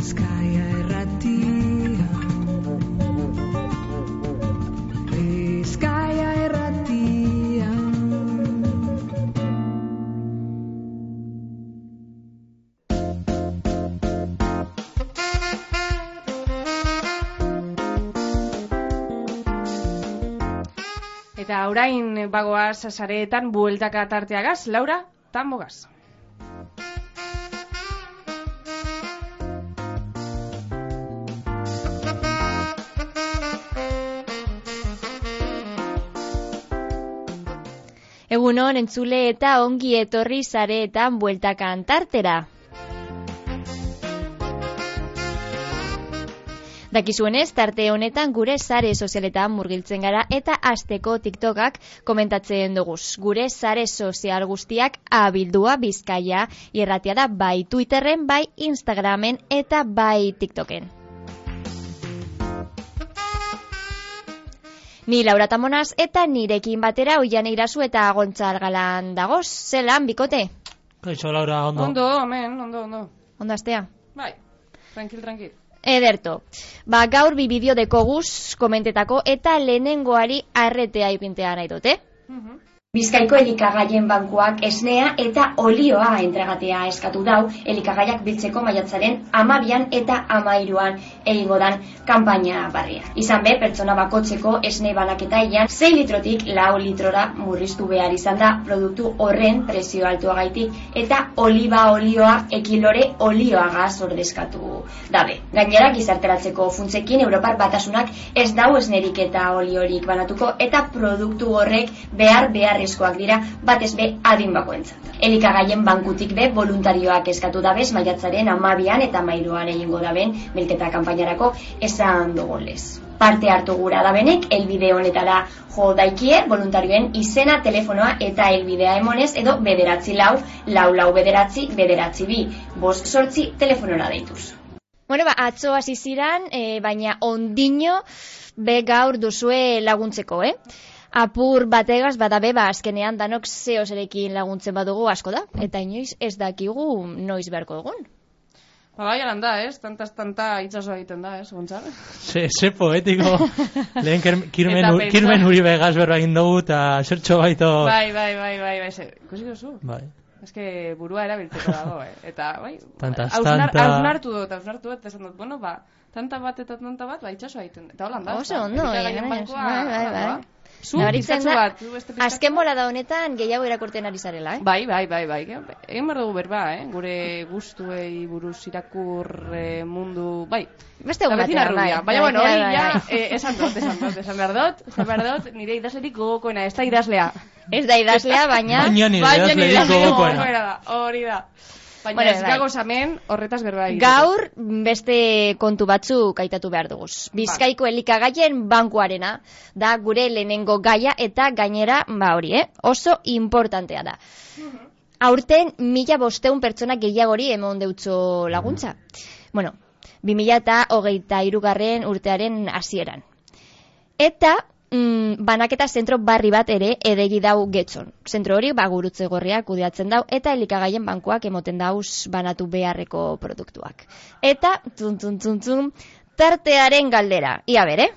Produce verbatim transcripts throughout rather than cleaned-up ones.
Bizkaia irratia, Bizkaia irratia. Eta orain bagoaz sareetan bueltaka tarteagaz, Laura, tambogaz. Egunon entzule eta ongi etorri sareetan bueltakan tartera. Dakizuenez, tarte honetan gure sare sozialetan murgiltzen gara eta asteko TikTokak komentatzen duguz. Gure sare sozial guztiak abildua Bizkaia irratia da bai Twitterren, bai Instagramen eta bai TikToken. Ni Laura Tamonaz eta nirekin batera Oiane Irazu eta Gontzal Galan dagoz. Zelan, bikote? Kaixo, Laura, ondo. Ondo, amen, ondo, ondo. Ondo astea? Bai, tranquil, tranquil. Ederto. Ba, gaur bi bideo dekoguz komentetako eta lehenengoari arretea ipintea nahi dute. Uh-huh. Bizkaiko elikagaien bankuak esnea eta olioa entregatea eskatu dau elikagaiak biltzeko maiatzaren amabian eta amairuan egingo dan kanpaina barria. Izan be, pertsona bakotzeko esne banaketa ian sei litrotik lau litrora murriztu behar izan da produktu horren prezio altuagaitik eta oliba olioa ekilore olioagaz ordezkatu dabe. Gainera, gizarteratzeko funtzekin Europar Batasunak ez dau esnerik eta oliorik banatuko eta produktu horrek behar behar eskoak dira batez be adin bakoentzat. Elikagaien bankutik be voluntarioak eskatu dabez maiatzaren amabian eta amairuan egingo daben bilketa kanpainarako esan dugunez. Parte hartu gura dabenek elbide honetara jo daikie voluntarioen izena, telefonoa eta elbidea emonez edo bederatzi lau, lau lau bederatzi, bederatzi bi, bost sortzi telefonora deituz. Bueno, ba, atzo hasi ziran, e, baina ondino be gaur duzue laguntzeko, eh? Apur bategaz badabe, ba, azkenean danok zeozerekin laguntzen badugu asko da, eta inoiz ez dakigu noiz beharko dugun. Ba, bai, alan da, ez? Tantaz tanta itxaso egiten da, ez, Gontzal? Se, se poetiko. Lehen kirmen, kirmen uri begaz berba egin dugu, eta zertxo baito... Bai, bai, bai, bai, bai, ze, ikusi duzu? Bai. Ez que burua erabiltzeko dago, eh? Eta, bai, Tantaz, hausnar, tanta... hausnartu dut, hausnartu dut, esan dut, bueno, ba, tanta bat eta tanta bat, ba, itxaso egiten. Eta holan da, oso, ondo, bai, bai, bai, bai, bai. Zu, bizkatzu bat. Azken bolada honetan gehiago irakurten ari zarela, eh? Bai, bai, bai, bai. Egin behar dugu berba, eh? Gure gustuei buruz irakur eh, mundu, bai. Beste egun batean, bai. Baina, bueno, hori ja, eh, esan dut, esan dut, esan behar dut, esan behar dut, nire idazlerik gogokoena, ez da idazlea. Ez da idazlea, baina... Baina nire idazlerik gogokoena. Hori da. Baina bueno, ez gagoz hemen horretaz berba egiteko. Gaur beste kontu batzuk aitatu behar dugu. Bizkaiko elikagaien bankuarena da gure lehenengo gaia eta gainera, ba hori, eh? Oso importantea da. Aurten mila bosteun pertsona gehiagori emon deutzo laguntza. Bueno, bi mila eta hogeita hirugarren urtearen hasieran. Eta... Mm, banaketa zentro barri bat ere edegi dau Getxon. Zentro hori ba gurutze gorriak kudeatzen dau eta elikagaien bankuak emoten dauz banatu beharreko produktuak. Eta tun tun tun tun tartearen galdera. Ia bere.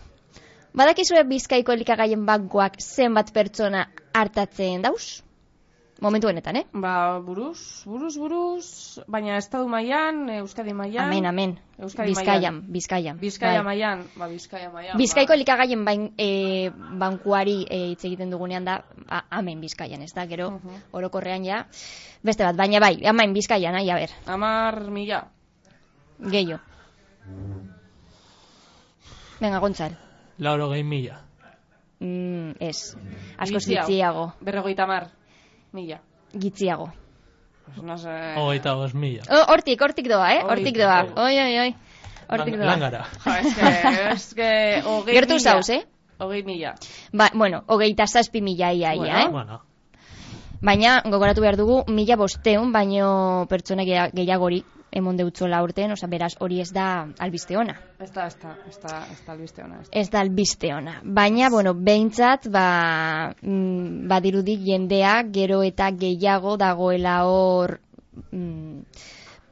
Badakizue Bizkaiko elikagaien bankuak zenbat pertsona hartatzen dauz? Momentu honetan, eh? Ba, buruz, buruz, buruz, baina estadu mailan, Euskadi mailan. Amen, amen. Euskadi Bizkaian, Bizkaian. Bizkaia mailan, ba, Bizkaia mailan. Bizkaiko ba. elikagaien bain, e, bankuari hitz e, egiten dugunean da, a, amen Bizkaian, ez da, gero, uh -huh. orokorrean ja, beste bat, baina bai, amen Bizkaian, ahi, a ber. Amar mila. Gehiago. Venga, Gontzal. Lauro gehi mila. Mm, ez, askoz gitziago. Berrogeita mar. Mila. Gitziago. Pues no sé... Hogeita bost mila. Oh, hortik, hortik doa, eh? Hortik doa. Oi, oi, oi. Hortik doa. Langara. Ja, es que... Es que... Hogei Gertu mila. zauz, eh? Hogei mila. Ba, bueno, hogeita zazpi mila ia, bueno, ia, eh? Bueno. Baina, gogoratu behar dugu, mila bosteun, baino pertsona gehiagori emon deutzola urten, oza, beraz, hori ez da albiste ona. Ez da, ez da, ez da, ez da albiste ona. Ez da albiste ona. Baina, bueno, behintzat, ba, mm, badirudi jendea gero eta gehiago dagoela hor mm,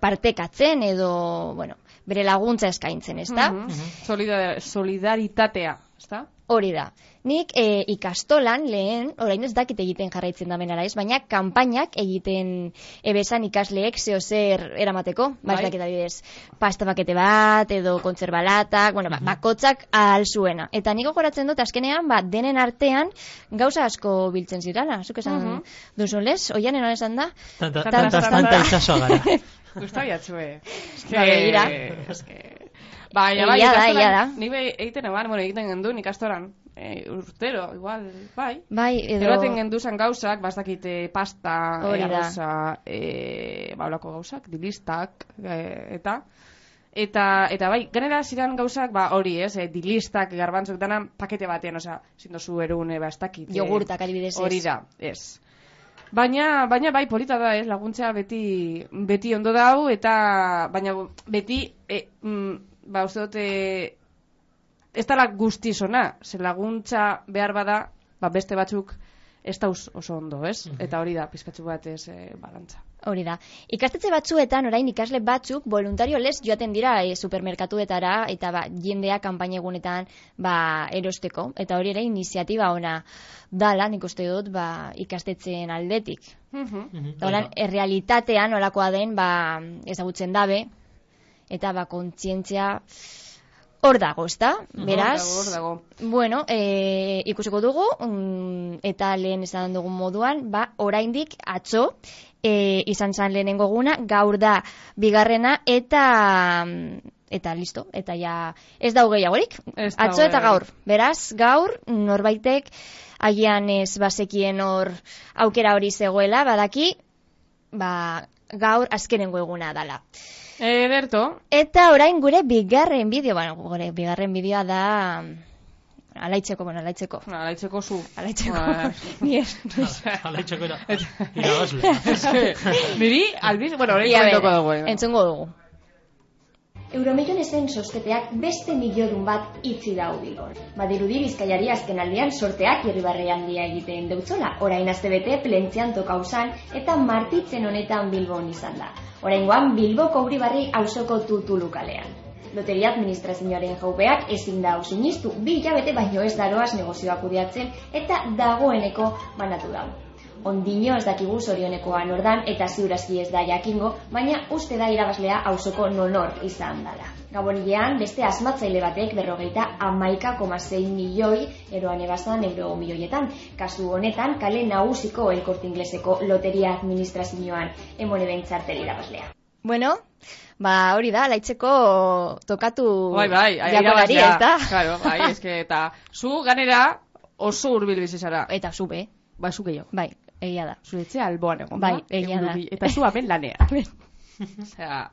partekatzen edo, bueno, bere laguntza eskaintzen, ezta? Mhm. Solidar- Solidaritatea, ezta? Hori da. Nik e, ikastolan lehen, orain ez dakit egiten jarraitzen damen ala ez, baina kanpainak egiten ebesan ikasleek zeo zer eramateko, ba ez Bai. dakit adibidez, pasta pakete bat, edo kontzerbalatak, bueno, ba, bakotzak ahal zuena. Eta nik gogoratzen dut, azkenean, ba, denen artean gauza asko biltzen zirala, zuk esan Mhm. duzun lez, oianen hori esan da? Tanta, Tanta, tanta, tanta. tanta itxasoa gara. Gusta biatzue. Ba, begira. Baina, bai, Egia da, ikastolan, egia da. Ni be egiten eban, bueno, egiten gendun ikastoran, e, urtero, igual, bai. Bai, edo... Eroaten genduzan gauzak, bastakite pasta, Hori e, da. arroza, e, baulako gauzak, dilistak, e, eta... Eta, eta bai, genera ziren gauzak, ba, hori, ez, e, dilistak, garbantzok dana, pakete batean, osea, zindozu erune, ba, ez dakit. e, Jogurtak adibidez ez. Hori da, ez. Baina, baina bai, polita da, ez, laguntzea beti, beti ondo dau, eta, baina beti, e, mm, ba, uste dute, ez dala guztizona, ze laguntza behar bada, ba, beste batzuk ez dauz oso ondo, ez? Eta hori da, pizkatzu bat ez, e, balantza. Hori da. Ikastetxe batzuetan, orain ikasle batzuk, voluntario lez joaten dira e, supermerkatuetara, eta ba, jendea kanpaina egunetan ba, erosteko. Eta hori ere iniziatiba ona dala, nik uste dut, ba, ikastetxeen aldetik. Mhm. Eta holan, errealitatean olakoa den, ba, ezagutzen dabe, eta ba, kontzientzia hor dago, ezta? Beraz, Hor dago, hor dago. bueno, e, ikusiko dugu, mm, eta lehen esan dugun moduan, ba, oraindik atzo, e, izan zan lehenengo eguna, gaur da bigarrena, eta eta listo, eta ja ez dago gehiagorik, Ez dago atzo eta gaur. gehiagorik. Beraz, gaur norbaitek agian ez bazekien hor aukera hori zegoela, badaki, ba, gaur azkenengo eguna dala. Ederto, Eta orain gure bigarren bideo, bueno, gure bigarren bideoa da alaitzeko, bueno, alaitzeko. alaitzeko zu. Alaitzeko. Ba, Ni ez. Hala itxako era. Irabazle. eske, niri, albiz, bueno, hori Ia, komentoko bere, dugu. eh. entzungo dugu. Euromilionesen sosketeak beste miliodun bat itzi dau Bilbon. Badirudi Bizkaiari azken aldian sorteak irribarre handia egiten deutzola. Orain astebete plentzian tokauzan eta martitzen honetan Bilbon izan da. Oraingoan Bilboko Uribarri auzoko tutulu kalean. Loteria administrazioaren jaupeak ezin da sinistu, bi hilabete baino ez daroaz negozioak kudeatzen eta dagoeneko banatu dau. Ondino ez dakigu zorionekoa nordan eta ziurazki ez da jakingo, baina uste da irabazlea auzoko nonor izan dala. Gabonilean, beste asmatzaile batek berrogeita hamaika koma sei milioi eroan ebazan euro milioietan. Kasu honetan, kale nagusiko El Corte Ingleseko loteria administrazioan emone behintzartel irabazlea. Bueno, ba hori da, alaitzeko tokatu Bai, bai, jagonari, irabazlea. ez da? Claro, bai, eske, eta zu ganera oso hurbil bizi zara. Eta zube, Ba, zu gehiago. bai, egia da. Zure etxea alboan egon, Bai, da? egia da. Egurubi- Eta zu hemen lanean. Osea,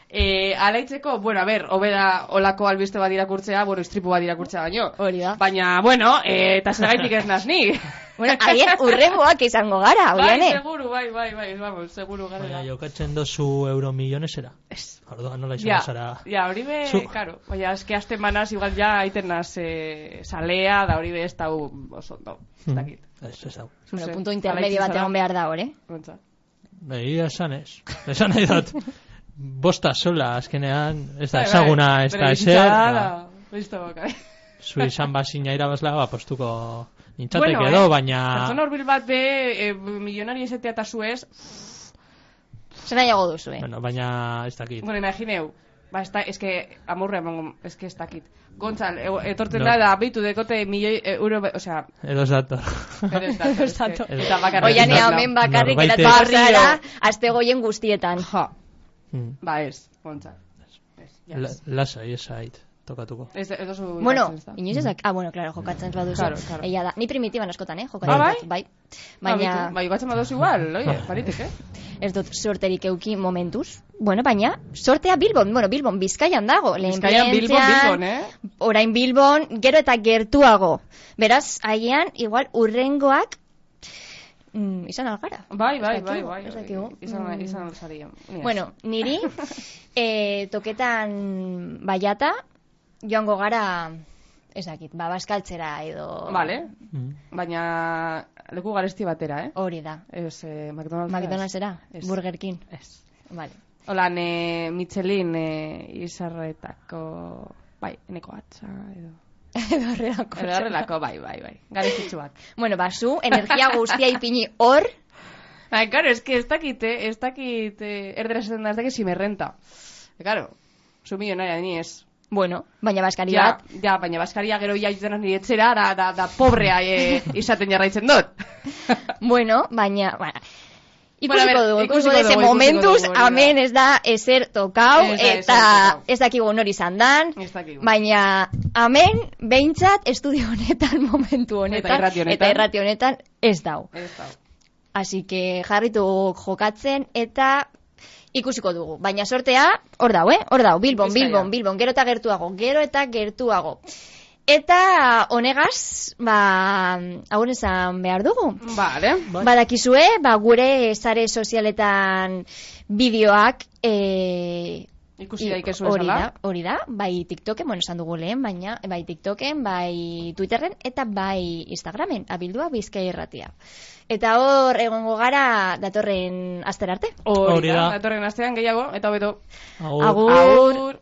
eh, alaitzeko, bueno, a ber, hobeda olako albiste bat irakurtzea, bueno, istripu bat irakurtzea baino. Hori da. Baina, bueno, eh, eta zergaitik ez naz ni. Bueno, agian urrengoak izango gara, Bai, oiane. seguru, bai, bai, bai, vamos, seguru gara. Baina jokatzen dozu euro millonesera. Ez. Orduan nola Ja, izango zara. ja, hori be, Zu- karo, baina eske azten manaz, igual ja aiten naz eh, salea, da hori be ez dau oso ondo, ez dakit. Ez, ez hau. Bueno, Zuzen, punto intermedio bat alaitz egon behar da, hori. Gontza. Egia esan ez. Esan nahi dut. Bosta sola azkenean, ez da Bai, bai, ezaguna, ez bere da bizitza ezer. da, ba, da, listo, bai. Zu izan bazina irabazla, ba, postuko nintzateke Bueno, edo, eh, baina... Pertsona horbil bat be, eh, milionari esetea eta zuez, Zer nahiago duzu, eh? Bueno, baina ez dakit. bueno, imagineu, ba, ez da, ez que, amurre emango, ez que ez dakit. Gontzal, e, etorten No. da, da, bitu dekote milioi eh, euro, be- osea, Edo ez dator. edo ez da, ez dator. que- eta bakarrik. Oiane, ez da. hemen bakarrik Norbaitek- eratu zara, azte goien guztietan. Ja, Mm. ba ez, gontzal. Ez, ja, La- ez. Lasai, ez zait, tokatuko. Ez, ez dozu Bueno, ikatzen, ez da. inoiz ezak, ah, bueno, claro, jokatzen ez baduzu. Claro, claro. Egia da, ni primitiban askotan, eh, jokatzen. Ah, bai? dut, bai. Ba, Baina bitu, ba, iguatzen badozu igual, oie, baritek, eh? ez dut sorterik euki momentuz. Bueno, baina sortea Bilbon, bueno, Bilbon, Bizkaian dago. Lehen Bizkaian, Bilbon, Plentzian, Bilbon, eh? Orain Bilbon, gero eta gertuago. Beraz, agian, igual, urrengoak mm, izan algara. Bai, bai, Ez bai, dakigu, bai. ez dakigu. Izan, Mm. izan alzario. Bueno, niri e, toketan baiata joango gara ez dakit, ba, baskaltzera edo... Vale, Mm. baina leku garesti batera, eh? Hori da. Ez, eh, McDonald's. McDonald'sera, Ez. Burger King. Ez. Vale. Holan, e, Michelin e, izarretako, bai, eneko atza, edo... Edo horrelako. Edo horrelako, bai, bai, bai. Garezitxuak. Bueno, ba, zu, energia guztia ipini hor. Bai, claro, es que ez dakite, ez dakite, erdera esaten da, ez dakit simerrenta. Claro, zu milionaria ni ez. Bueno, baina baskari Ja, bat. ja, baina baskaria gero jaitzenan nire etxera, da, da, da pobrea e, izaten jarraitzen dut. Bueno, baina... Bueno, Bueno, a ikusiko ver, dugu, ikusiko ikusiko dugu, dugu, momentuz, ikusiko dugu, hemen ez da ezer tokau, Ez da ezer eta tokau. ez dakigu nori izan dan, Ez dakigu. baina hemen, behintzat, estudio honetan, momentu honetan, irrati honetan. eta irrati honetan ez dau. Ez da. Así que jarritu jokatzen, eta ikusiko dugu. Baina sortea, hor dau, eh? Hor dau, Bilbon, Bizkaia. Bilbon, Bilbon, gero eta gertuago, gero eta gertuago. Eta honegaz, ba, hau esan behar dugu. Vale. Badakizue, ba, gure sare sozialetan bideoak e, Ikusi i- daikezu hori esala. da, hori da, bai TikToken, bueno, esan dugu lehen, baina bai TikToken, bai Twitterren eta bai Instagramen, abildua Bizkaia Irratia. Eta hor egongo gara datorren astera arte. Hori Hori da, da. datorren astean gehiago, eta hobeto. Agur. Agur. Agur.